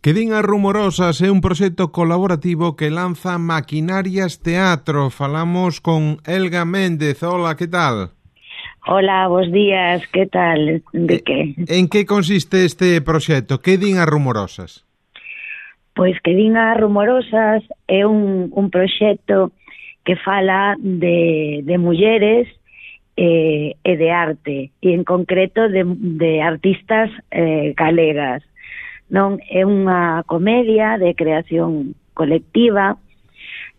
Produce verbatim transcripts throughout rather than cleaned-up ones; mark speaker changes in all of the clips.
Speaker 1: Quedín as Rumorosas é un proxecto colaborativo que lanza Maquinarias Teatro. Falamos con Elga Méndez. Hola, que tal?
Speaker 2: Hola, bos días, que tal? De que?
Speaker 1: En que consiste este proxecto? Quedín as Rumorosas?
Speaker 2: Pois Quedín as Rumorosas é un, un proxecto que fala de, de mulleres eh, e de arte, e en concreto de, de artistas eh, galegas. Non é unha comedia de creación colectiva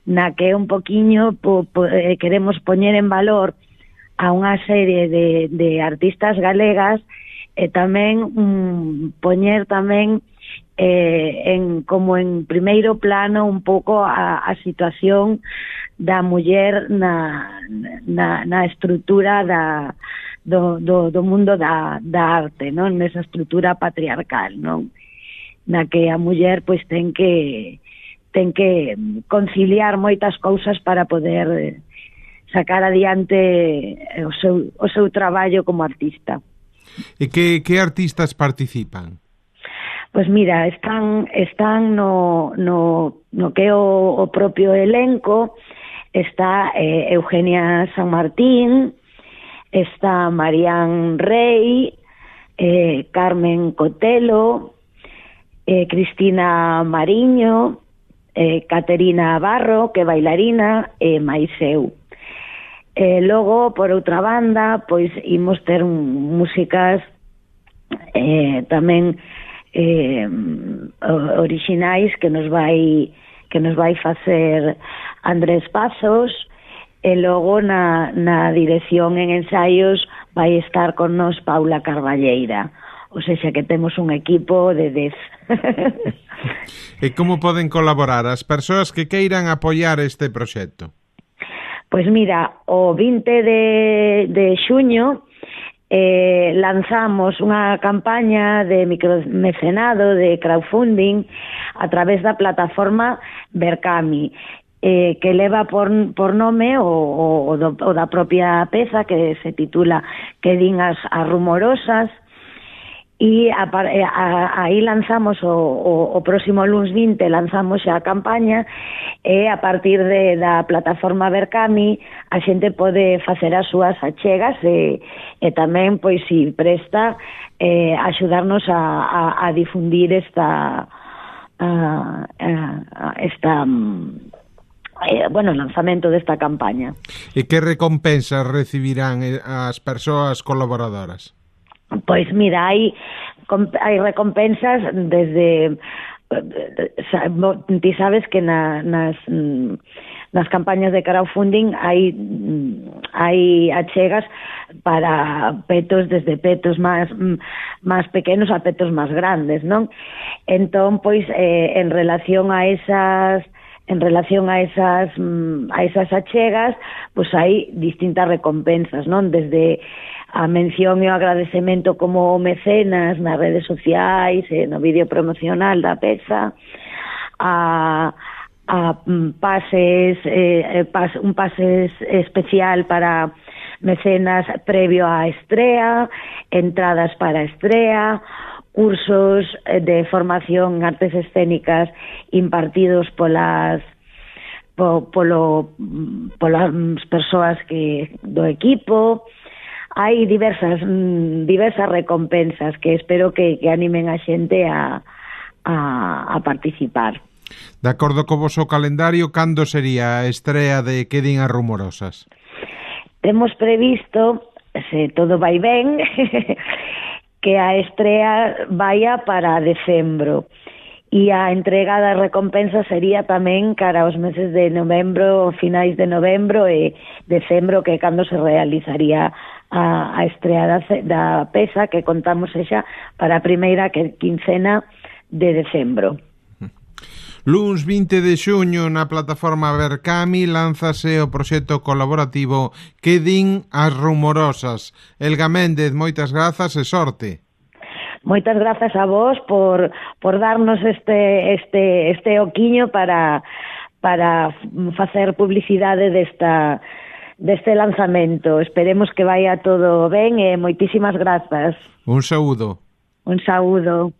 Speaker 2: na que un poquiño po, po, eh, queremos poñer en valor a unha serie de, de artistas galegas e tamén um, poñer tamén eh, en, como en primeiro plano un pouco a, a situación da muller na, na, na estrutura da, do, do, do mundo da, da arte, non? Nesa estrutura patriarcal, non? Na que a muller pois ten que ten que conciliar moitas cousas para poder sacar adiante o seu, o seu traballo como artista.
Speaker 1: E que, que artistas participan?
Speaker 2: Pois mira, están están no, no, no que é o, o propio elenco. Está eh, Eugenia San Martín, está Marián Rey, eh, Carmen Cotelo, eh, Cristina Mariño, eh, Caterina Barro, que é bailarina, e máis eu. E logo, por outra banda, pois imos ter un, músicas eh, tamén eh, orixinais que nos vai que nos vai facer Andrés Pazos, e logo na, na dirección en ensaios vai estar con nos Paula Carballeira. O sexa que temos un equipo de dez.
Speaker 1: E como poden colaborar as persoas que queiran apoiar este proxecto?
Speaker 2: Pois mira, o vinte de, de xuño eh, lanzamos unha campaña de micromecenado, de crowdfunding, a través da plataforma Berkami, eh, que leva por, por nome o, o, do, o da propia peza, que se titula Quedín as, as Rumorosas. E a, a, aí lanzamos o, o, o próximo luns vinte lanzamos xa a campaña, e a partir de, da plataforma Berkami a xente pode facer as súas achegas e, e tamén, pois, si presta eh, axudarnos a, a, a difundir esta a, a, esta eh, bueno, lanzamento desta campaña.
Speaker 1: E que recompensas recibirán as persoas colaboradoras?
Speaker 2: Pois mira, hai, hai recompensas desde... Ti sabes que na, nas, nas campañas de crowdfunding hai, hai achegas para petos, desde petos máis, máis pequenos a petos máis grandes, non? Entón, pois, eh, en relación a esas... En relación a esas a esas achegas, pois hai distintas recompensas, non? Desde a mención e o agradecemento como mecenas nas redes sociais, e no vídeo promocional da peza, a, a pases, eh, pas, un pase especial para mecenas previo á estrea, entradas para a estrea, cursos de formación en artes escénicas impartidos polas po, polo, polas persoas que do equipo. Hai diversas diversas recompensas que espero que, que animen a xente a, a, a participar.
Speaker 1: De acordo co voso calendario, cando sería a estrea de Quedín as Rumorosas?
Speaker 2: Temos previsto, se todo vai ben, que a estrea vaya para decembro, e a entrega das recompensas sería tamén cara aos meses de novembro, finais de novembro e decembro, que é cando se realizaría a, a estrea da, da peza, que contamos xa para a primeira quincena de decembro.
Speaker 1: Luns vinte de xuño na plataforma Berkami lánzase o proxecto colaborativo Quedín as Rumorosas. Elga Méndez, moitas grazas e sorte.
Speaker 2: Moitas grazas a vos por, por darnos este, este, este oquiño para, para facer publicidade desta, deste lanzamento. Esperemos que vaya todo ben e moitísimas grazas.
Speaker 1: Un saúdo.
Speaker 2: Un saúdo.